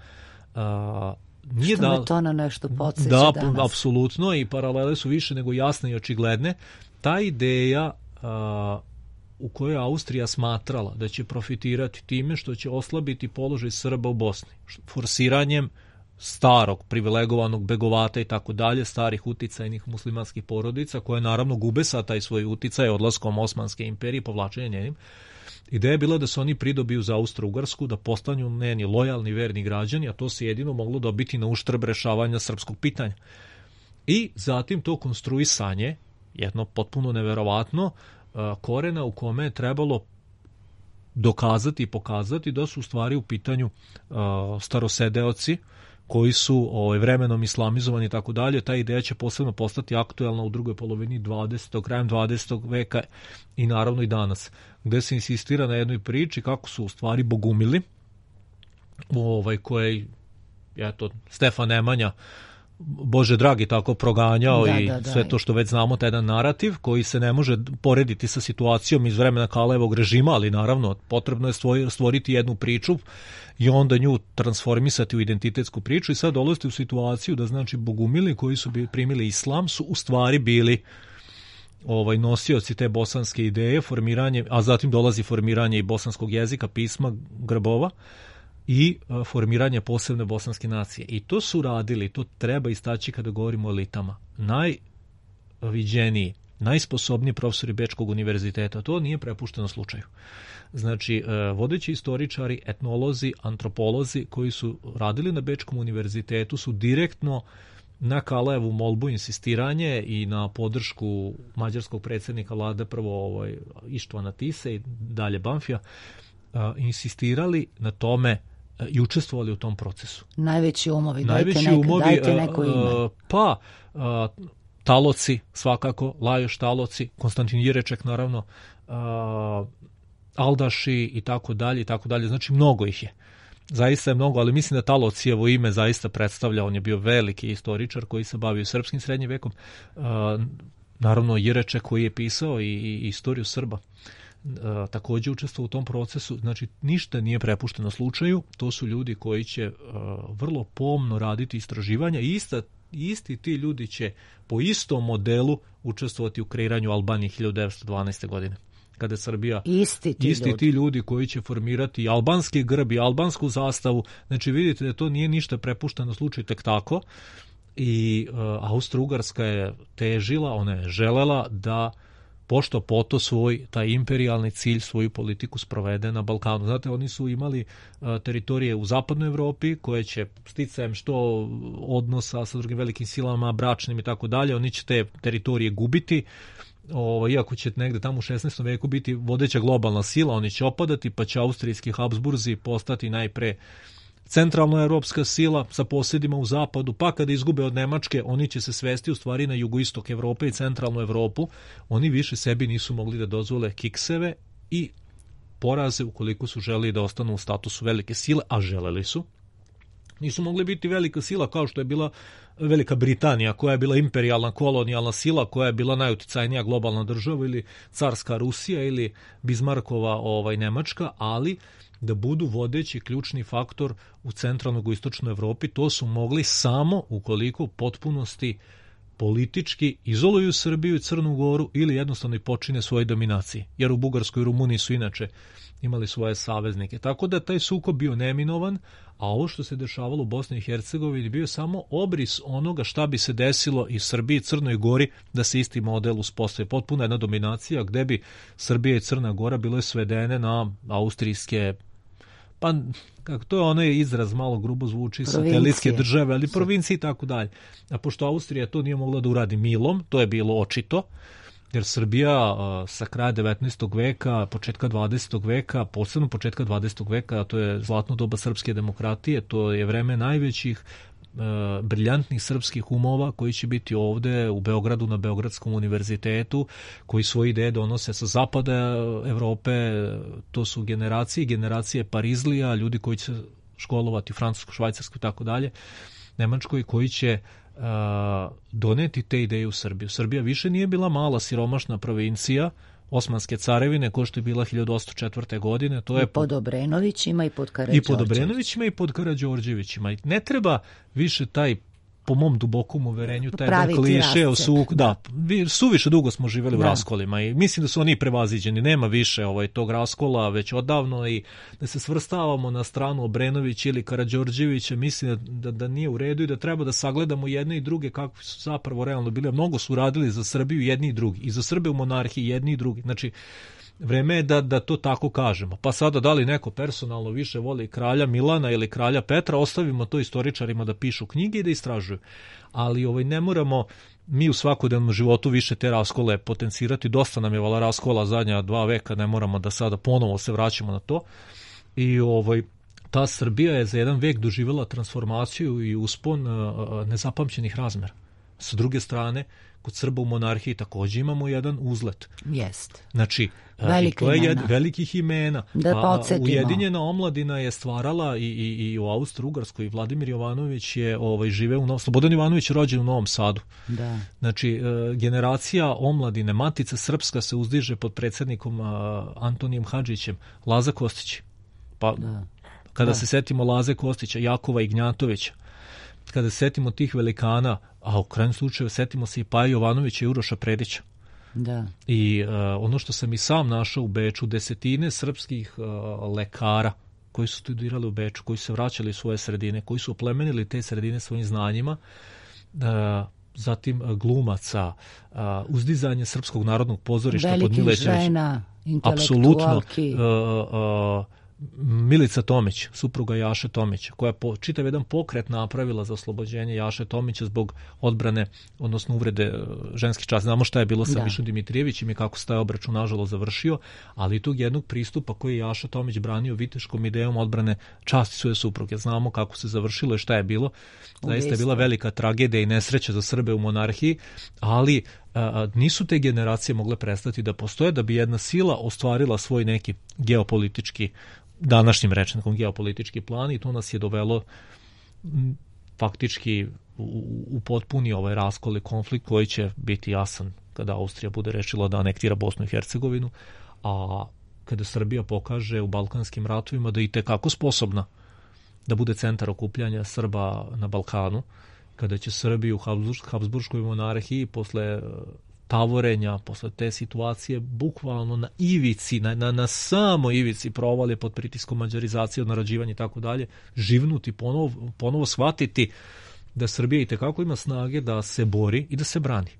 nije što me to na nešto podsjeća danas. Da, apsolutno, i paralele su više nego jasne i očigledne. Ta ideja u kojoj Austrija smatrala da će profitirati time što će oslabiti položaj Srba u Bosni, forsiranjem starog, privilegovanog begovata i tako dalje, starih uticajnih muslimanskih porodica, koje naravno gube sad taj svoj uticaj odlaskom Osmanske imperije, povlačenjem njenim. Ideja je bila da se oni pridobiju za Austro-Ugarsku, da postanu njeni lojalni, verni građani, a to se jedino moglo dobiti na uštrb rešavanja srpskog pitanja. I zatim to konstruisanje, jedno potpuno neverovatno, korena u kome je trebalo dokazati i pokazati da su u stvari u pitanju starosedeoci koji su vremenom islamizovani i tako dalje. Ta ideja će posebno postati aktuelna u drugoj polovini 20. krajem 20. veka i naravno i danas, gde se insistira na jednoj priči kako su u stvari bogumili, koje je Stefan Nemanja, Bože dragi, tako proganjao i sve to što već znamo, taj jedan narativ koji se ne može porediti sa situacijom iz vremena Kalajevog režima, ali naravno potrebno je stvoriti jednu priču i onda nju transformisati u identitetsku priču i sad dolaziti u situaciju da znači bogumili koji su primili islam su u stvari bili nosioci te bosanske ideje, formiranje, a zatim dolazi formiranje i bosanskog jezika, pisma, grbova i formiranje posebne bosanske nacije. I to su radili, to treba istaći kada govorimo o elitama, najviđeniji, najsposobniji profesori Bečkog univerziteta. To nije prepušteno slučaju. Znači, vodeći istoričari, etnolozi, antropolozi koji su radili na Bečkom univerzitetu su direktno na Kalajevu molbu, insistiranje i na podršku mađarskog predsjednika vlade, prvo Ištvana Tise i dalje Banfija, insistirali na tome i učestvovali u tom procesu. Najveći umovi, dajte neko ime. Taloci, svakako, Lajoš Taloci, Konstantin Jireček, naravno, Aldaši i tako dalje, znači mnogo ih je. Zaista je mnogo, ali mislim da Talocijevo ime zaista predstavlja, on je bio veliki istoričar koji se bavio srpskim srednjim vekom, naravno Jireček koji je pisao i istoriju Srba. Također učestvovao u tom procesu, znači ništa nije prepušteno slučaju, to su ljudi koji će vrlo pomno raditi istraživanja i isti ti ljudi će po istom modelu učestvovati u kreiranju Albanije 1912. godine. Kada je Srbija, isti ti ljudi koji će formirati albanski grb i albansku zastavu, znači vidite da to nije ništa prepušteno slučaju tek tako i Austro-Ugarska je težila, ona je želela da pošto poto svoj taj imperijalni cilj, svoju politiku sprovede na Balkanu. Znate, oni su imali teritorije u zapadnoj Evropi koje će sticajem što odnosa sa drugim velikim silama, bračnim i tako dalje, oni će te teritorije gubiti. Iako će negde tamo u 16. veku biti vodeća globalna sila, oni će opadati, pa će austrijski Habsburzi postati najpre centralno evropska sila sa posjedima u zapadu, pa kada izgube od Nemačke, oni će se svesti u stvari na jugoistok Evrope i centralnu Evropu. Oni više sebi nisu mogli da dozvole kikseve i poraze ukoliko su želeli da ostanu u statusu velike sile, a želeli su. Nisu mogli biti velika sila kao što je bila Velika Britanija, koja je bila imperijalna kolonijalna sila, koja je bila najuticajnija globalna država, ili carska Rusija ili Bizmarkova Nemačka, ali da budu vodeći ključni faktor u centralnoj i istočnoj Evropi, to su mogli samo ukoliko u potpunosti politički izoluju Srbiju i Crnu Goru ili jednostavno i počine svoje dominacije. Jer u Bugarskoj i Rumuniji su inače imali svoje saveznike. Tako da taj sukob bio neminovan, a ovo što se dešavalo u Bosni i Hercegovini bio samo obris onoga šta bi se desilo i Srbiji i Crnoj Gori da se isti model uspostavi. Potpuna jedna dominacija gde bi Srbija i Crna Gora bile svedene na austrijske, pa kako to je onaj izraz, malo grubo zvuči, satelitske države, ali provincije i tako dalje. A pošto Austrija to nije mogla da uradi milom, to je bilo očito, jer Srbija sa kraja 19. veka, početka 20. veka, posebno početka 20. veka, a to je zlatno doba srpske demokratije, to je vreme najvećih briljantnih srpskih umova koji će biti ovde u Beogradu na Beogradskom univerzitetu, koji svoje ideje donose sa zapada Evrope. To su generacije Parizlija, ljudi koji će školovati u Francusku, Švajcarsku i tako dalje, Nemačkoj, koji će doneti te ideje u Srbiju. Srbija više nije bila mala siromašna provincija Osmanske carevine, ko što je bila 1804. godine. To je pod Obrenovićima i pod Karađorđevićima. I pod Karađorđevićima. Ne treba više taj, po mom dubokom uverenju, taj kliše o suviše dugo smo živjeli u raskolima i mislim da su oni prevaziđeni. Nema više tog raskola već odavno i da se svrstavamo na stranu Obrenović ili Karađorđevića, mislim da nije u redu i da treba da sagledamo jedne i druge kakvi su zapravo realno bili. Mnogo su radili za Srbiju jedni i drugi. I za Srbe u monarhiji jedni i drugi. Znači, vreme je da to tako kažemo. Pa sada da li neko personalno više voli kralja Milana ili kralja Petra, ostavimo to istoričarima da pišu knjige i da istražuju. Ali ne moramo mi u svakodnevnom životu više te raskole potencirati. Dosta nam je raskola zadnja 2 veka, ne moramo da sada ponovo se vraćamo na to. I ta Srbija je za jedan vek doživjela transformaciju i uspon nezapamćenih razmera. Sa druge strane, kod Srba u monarhiji također imamo jedan uzlet. Jest. Znači, to je velikih imena. Da podsjetimo. Ujedinjena omladina je stvarala i u Austro-Ugarskoj. Vladimir Jovanović je živeo u Novom Sadu. Slobodan Jovanović je rođen u Novom Sadu. Da. Znači, generacija omladine, Matica Srpska se uzdiže pod predsjednikom Antonijem Hadžićem. Laza Kostić. Pa, kada se setimo Laze Kostića, Jakova Ignjatovića, kada se setimo tih velikana, a u krajnjem slučaju setimo se i Paja Jovanovića i Uroša Predića. Da. I ono što sam i sam našao u Beču, desetine srpskih lekara koji su studirali u Beču, koji su se vraćali u svoje sredine, koji su oplemenili te sredine svojim znanjima, zatim glumaca, uzdizanje Srpskog narodnog pozorišta pod Milećević. Velikih žena, intelektualki. Apsolutno. Milica Tomić, supruga Jaše Tomića, koja je čitav jedan pokret napravila za oslobođenje Jaše Tomića zbog odbrane, odnosno uvrede ženskih časti. Znamo šta je bilo sa Mišom Dimitrijevićem i kako se taj obračun nažalost završio, ali i tog jednog pristupa koji je Jaša Tomić branio viteškom idejom odbrane časti svoje supruge. Znamo kako se završilo i šta je bilo. Zaista je bila velika tragedija i nesreća za Srbe u monarhiji, ali nisu te generacije mogle prestati da postoje da bi jedna sila ostvarila svoj neki geopolitički, današnjim rečnikom geopolitički plan, i to nas je dovelo faktički u potpuni raskol i konflikt koji će biti jasan kada Austrija bude rešila da anektira Bosnu i Hercegovinu, a kada Srbija pokaže u Balkanskim ratovima da je itekako sposobna da bude centar okupljanja Srba na Balkanu, kada će Srbiju u Habsburškoj monarhiji posle tavorenja, posle te situacije bukvalno na ivici, na samo ivici provalje pod pritiskom mađarizacije, odnarađivanja i tako dalje, živnuti, ponovo shvatiti da Srbija itekako ima snage da se bori i da se brani.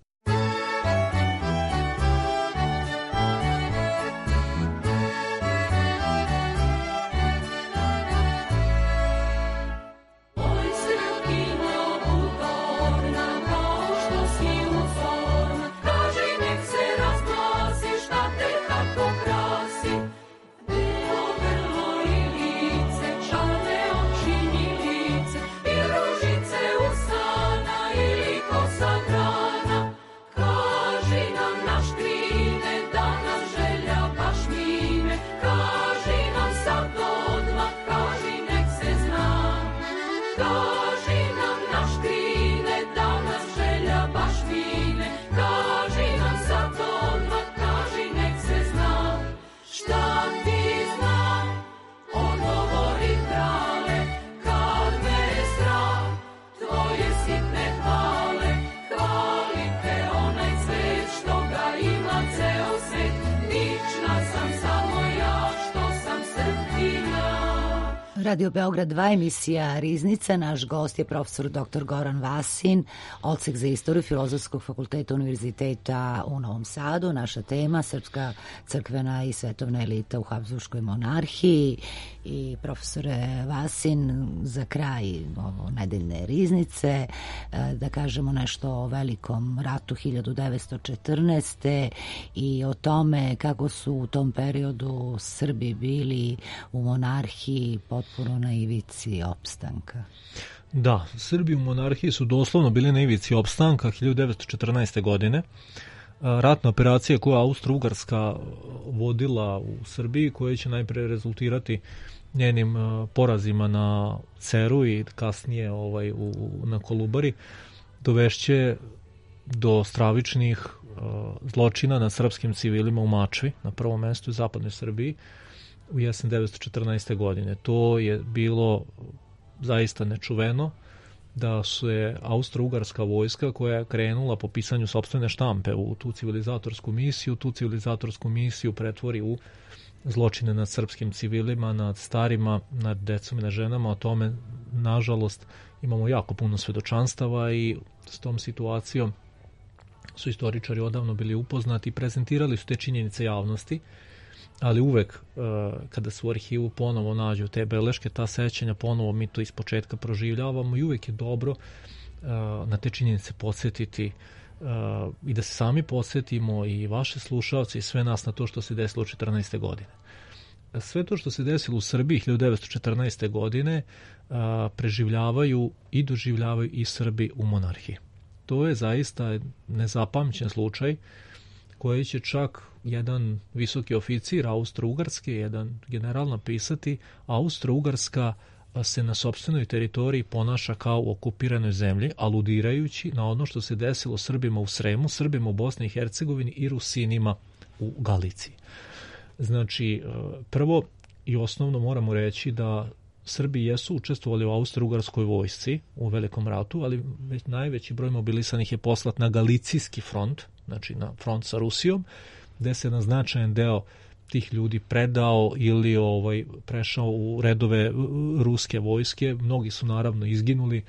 Radio Beograd 2, emisija Riznica. Naš gost je profesor dr. Goran Vasin, odsek za istoriju Filozofskog fakulteta Univerziteta u Novom Sadu. Naša tema, srpska crkvena i svetovna elita u Habsburškoj monarhiji. I profesore Vasin, za kraj ovo nedeljne Riznice, da kažemo nešto o velikom ratu 1914. i o tome kako su u tom periodu Srbi bili u monarhiji potpuno na ivici opstanka. Da, Srbi u monarhiji su doslovno bili na ivici opstanka 1914. godine. Ratna operacija koju Austro-Ugarska vodila u Srbiji, koja će najpre rezultirati njenim porazima na Ceru i kasnije na Kolubari, dovešće do stravičnih zločina nad srpskim civilima u Mačvi, na prvom mestu u zapadnoj Srbiji, u jesen 1914. godine. To je bilo zaista nečuveno, da su je Austro-Ugarska vojska koja je krenula po pisanju sopstvene štampe u tu civilizatorsku misiju pretvori u zločine nad srpskim civilima, nad starima, nad decom i nad ženama. O tome, nažalost, imamo jako puno svedočanstava i s tom situacijom su istoričari odavno bili upoznati i prezentirali su te činjenice javnosti, ali uvek kada se u arhivu ponovo nađu te beleške, ta sećanja, ponovo mi to ispočetka proživljavamo i uvek je dobro na te činjenice podsjetiti i da se sami podsjetimo i vaše slušalci i sve nas na to što se desilo u 14. godine. Sve to što se desilo u Srbiji 1914. godine preživljavaju i doživljavaju i Srbi u monarhiji. To je zaista nezapamćen slučaj koji će čak jedan visoki oficir Austro-Ugarske, jedan general napisati: Austro-Ugarska se na sopstvenoj teritoriji ponaša kao u okupiranoj zemlji, aludirajući na ono što se desilo Srbima u Sremu, Srbima u Bosni i Hercegovini i Rusinima u Galiciji. Znači, prvo i osnovno moramo reći da Srbi jesu učestvovali u Austro-Ugarskoj vojsci u Velikom ratu, ali najveći broj mobilisanih je poslat na Galicijski front, znači na front sa Rusijom, gde se jedan značajan deo tih ljudi predao ili prešao u redove ruske vojske. Mnogi su naravno izginuli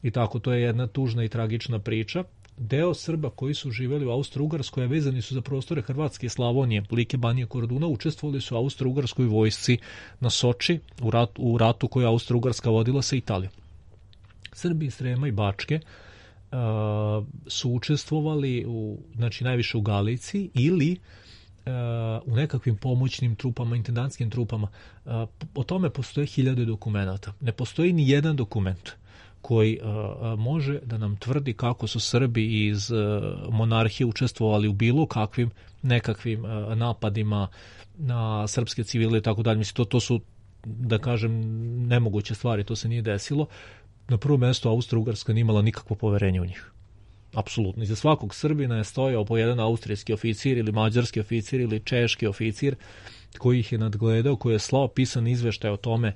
i tako, to je jedna tužna i tragična priča. Deo Srba koji su živjeli u Austro-Ugarskoj, a vezani su za prostore Hrvatske i Slavonije, Like, Banije, Korduna, učestvovali su u Austro-Ugarskoj vojsci na Soči u ratu koju Austro-Ugarska vodila sa Italijom. Srbi iz Srema i Bačke su učestvovali znači najviše u Galiciji ili u nekakvim pomoćnim trupama, intendantskim trupama. O tome postoje 1000 dokumenata. Ne postoji ni jedan dokument koji može da nam tvrdi kako su Srbi iz monarhije učestvovali u bilo kakvim nekakvim napadima na srpske civile i tako dalje. Mislim, to su, da kažem, nemoguće stvari, to se nije desilo. Na prvom mjestu Austro-Ugarska nije imala nikakvo poverenje u njih. Apsolutno. Iza svakog Srbina je stojao po jedan austrijski oficir ili mađarski oficir ili češki oficir koji ih je nadgledao, koji je slao pisan izveštaj o tome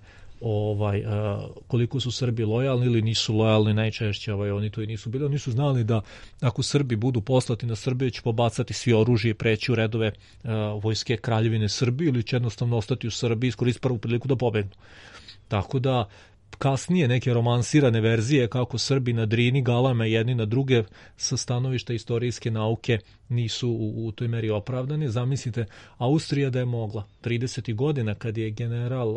koliko su Srbi lojalni ili nisu lojalni. Najčešće oni to i nisu bili. Oni su znali da ako Srbi budu poslati na Srbiju, će pobacati svi oružje i preći u redove vojske Kraljevine Srbije ili će jednostavno ostati u Srbiji i iskoristiti prvu priliku da pobegnu. Tako da kasnije neke romansirane verzije kako Srbi na Drini galame jedni na druge sa stanovišta istorijske nauke nisu u toj meri opravdane. Zamislite, Austrija da je mogla 30. godina kad je general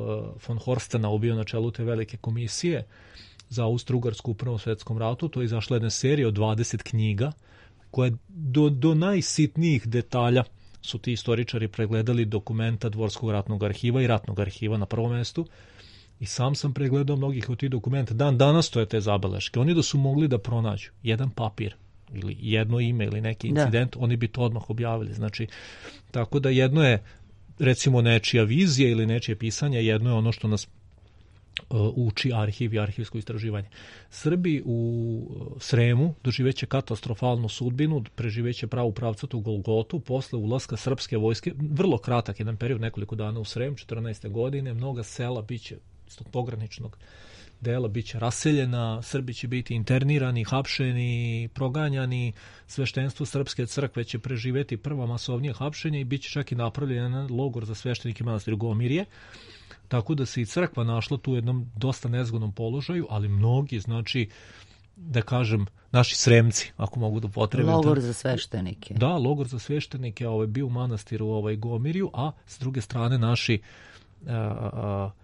von Horstenau bio na čelu te velike komisije za Austro-Ugarsku u Prvom svjetskom ratu, to je izašla jedna serija od 20 knjiga koje do najsitnijih detalja su ti istoričari pregledali dokumenta Dvorskog ratnog arhiva i ratnog arhiva na prvom mjestu. I sam pregledao mnogih od tih dokumenta. Danas stoje te zabeleške. Oni da su mogli da pronađu jedan papir ili jedno ime ili neki incident, oni bi to odmah objavili. Znači, tako da jedno je recimo nečija vizija ili nečije pisanje, jedno je ono što nas uči arhiv i arhivsko istraživanje. Srbi u Sremu doživeće katastrofalnu sudbinu, preživeće pravu pravcatu Golgotu posle ulaska srpske vojske, vrlo kratak jedan period, nekoliko dana u Srem, 14. godine, mnoga sela biće iz tog pograničnog dela biće raseljena, Srbi će biti internirani, hapšeni, proganjani, sveštenstvo Srpske crkve će preživjeti prva masovnije hapšenje i bit će čak i napravljen jedan logor za sveštenike manastira Gomirje. tako da se i crkva našla tu u jednom dosta nezgodnom položaju, ali mnogi, znači, da kažem, naši Sremci, ako mogu da potrebim. Logor za sveštenike. Da, logor za sveštenike, bio u manastiru Gomirju, a s druge strane naši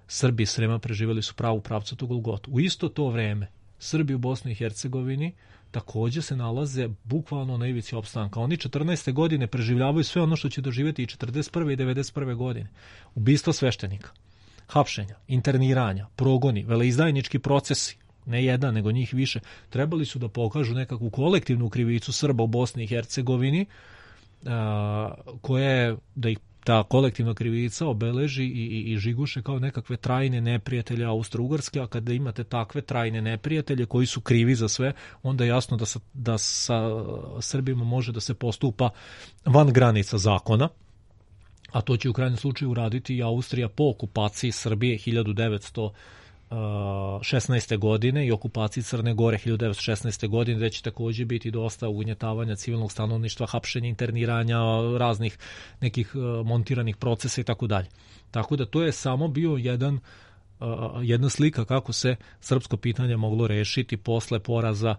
Srbi iz Srema preživjeli su pravu pravcatu Golgotu. U isto to vreme Srbi u Bosni i Hercegovini također se nalaze bukvalno na ivici opstanka. Oni 14. godine preživljavaju sve ono što će doživjeti i 41. i 91. godine. Ubistva sveštenika, hapšenja, interniranja, progoni, veleizdajnički procesi, ne jedan, nego njih više, trebali su da pokažu nekakvu kolektivnu krivicu Srba u Bosni i Hercegovini, koja je, da ih ta kolektivna krivica obeleži i žiguše kao nekakve trajne neprijatelje Austro-Ugarske, a kada imate takve trajne neprijatelje koji su krivi za sve, onda je jasno da sa Srbima može da se postupa van granica zakona, a to će u krajnjem slučaju uraditi i Austrija po okupaciji Srbije 1916. godine i okupaciji Crne Gore 1916. godine, gde će također biti dosta ugnjetavanja civilnog stanovništva, hapšenja, interniranja, raznih nekih montiranih procesa i tako dalje. Tako da to je samo bio jedna slika kako se srpsko pitanje moglo rešiti posle poraza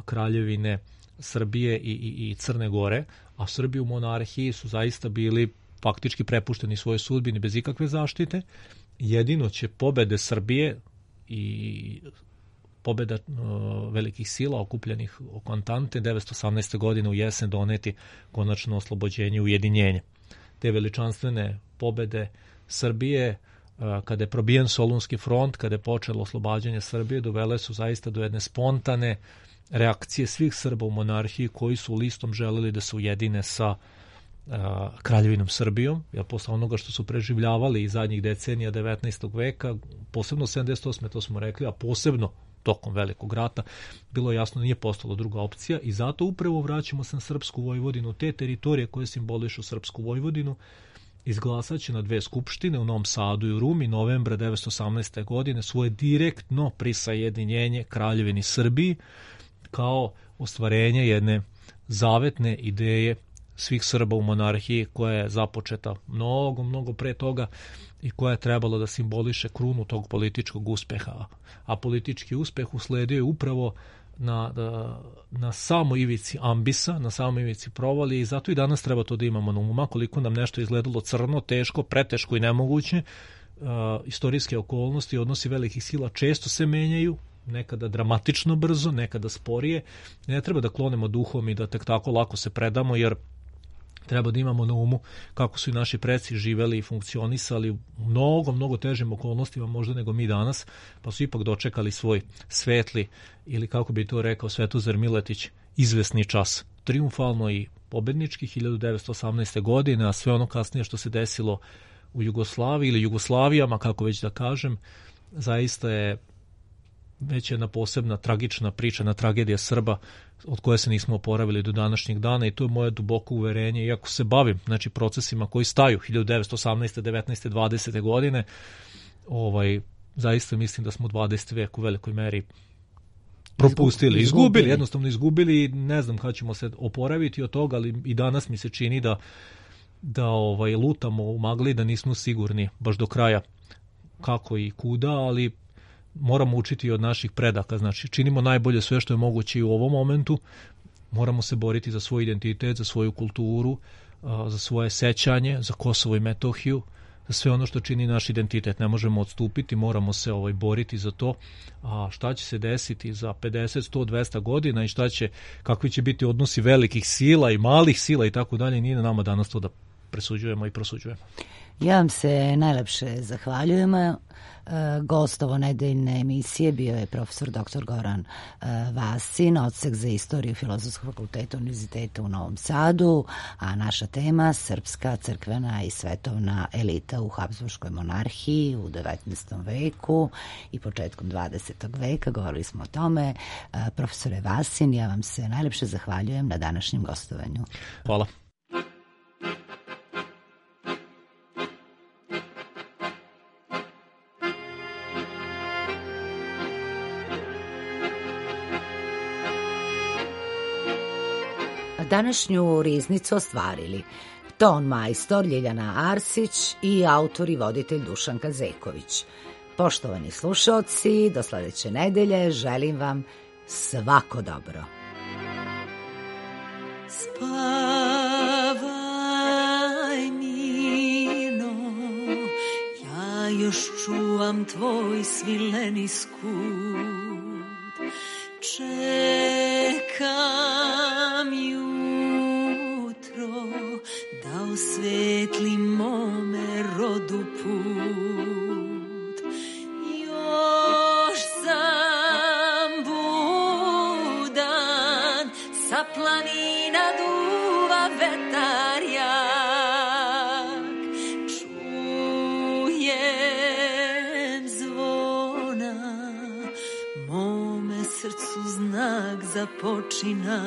Kraljevine Srbije i Crne Gore, a Srbi u monarhiji su zaista bili faktički prepušteni svojoj sudbini bez ikakve zaštite. Jedino će pobede Srbije i pobeda velikih sila okupljenih oko Antante 1918. godine u jesen doneti konačno oslobođenje i ujedinjenje. Te veličanstvene pobede Srbije, kada je probijen Solunski front, kada je počelo oslobađanje Srbije, dovele su zaista do jedne spontane reakcije svih Srba u monarhiji koji su listom želeli da se ujedine sa Kraljevinom Srbijom, jer posle onoga što su preživljavali i zadnjih decenija 19. veka, posebno 78. to smo rekli, a posebno tokom Velikog rata, bilo jasno nije postala druga opcija i zato upravo vraćamo se na Srpsku Vojvodinu. Te teritorije koje simbolišu Srpsku Vojvodinu izglasat će na 2 skupštine u Novom Sadu i u Rumi novembra 1918. godine svoje direktno prisajedinjenje Kraljevini Srbiji kao ostvarenje jedne zavetne ideje svih Srba u monarhiji koja je započeta mnogo pre toga i koja je trebala da simboliše krunu tog političkog uspeha. A politički uspeh usledio je upravo na samoj ivici ambisa, na samoj ivici provalije i zato i danas treba to da imamo na umu. Koliko nam nešto izgledalo crno, teško, preteško i nemoguće, istorijske okolnosti, odnosi velikih sila često se menjaju, nekada dramatično brzo, nekada sporije. Ne treba da klonemo duhom i da tek tako lako se predamo, jer treba da imamo na umu kako su i naši preci živeli i funkcionisali u mnogo težim okolnostima možda nego mi danas, pa su ipak dočekali svoj svetli, ili kako bi to rekao Svetozar Miletić, izvesni čas. Triumfalno i pobednički 1918. godine, a sve ono kasnije što se desilo u Jugoslaviji ili Jugoslavijama, kako već da kažem, zaista je već jedna posebna tragična priča, na tragedija Srba od koje se nismo oporavili do današnjeg dana i to je moje duboko uverenje. Iako se bavim procesima koji staju 1918. 19. 20. godine, zaista mislim da smo 20. vek u velikoj meri propustili, jednostavno izgubili i ne znam kada ćemo se oporaviti od toga, ali i danas mi se čini da lutamo u magli, da nismo sigurni baš do kraja kako i kuda, ali moramo učiti od naših predaka, znači činimo najbolje sve što je moguće i u ovom momentu, moramo se boriti za svoj identitet, za svoju kulturu, za svoje sećanje, za Kosovo i Metohiju, za sve ono što čini naš identitet. Ne možemo odstupiti, moramo se boriti za to. A šta će se desiti za 50, 100, 200 godina i kakvi će biti odnosi velikih sila i malih sila i tako dalje, nije na nama danas to da presuđujemo i prosuđujemo. Ja vam se najlepše zahvaljujem. Gost ovo nedeljne emisije bio je profesor dr. Goran Vasin, odsek za istoriju Filozofskog fakulteta Univerziteta u Novom Sadu, a naša tema srpska, crkvena i svetovna elita u Habsburškoj monarhiji u 19. veku i početkom 20. veka. Govorili smo o tome. Profesore Vasin, ja vam se najlepše zahvaljujem na današnjem gostovanju. Hvala. Današnju riznicu ostvarili ton majstor Ljiljana Arsić i autor i voditelj Dušan Kazeković. Poštovani slušaoci, do sledeće nedelje želim vam svako dobro. Spavaj mirno, ja još čuvam tvoj svileni skut. Čekam jutro da osvetli mome rodu put. Još sam budan, sa planina duva vetar jak. Čujem zvona, mome srcu znak započina.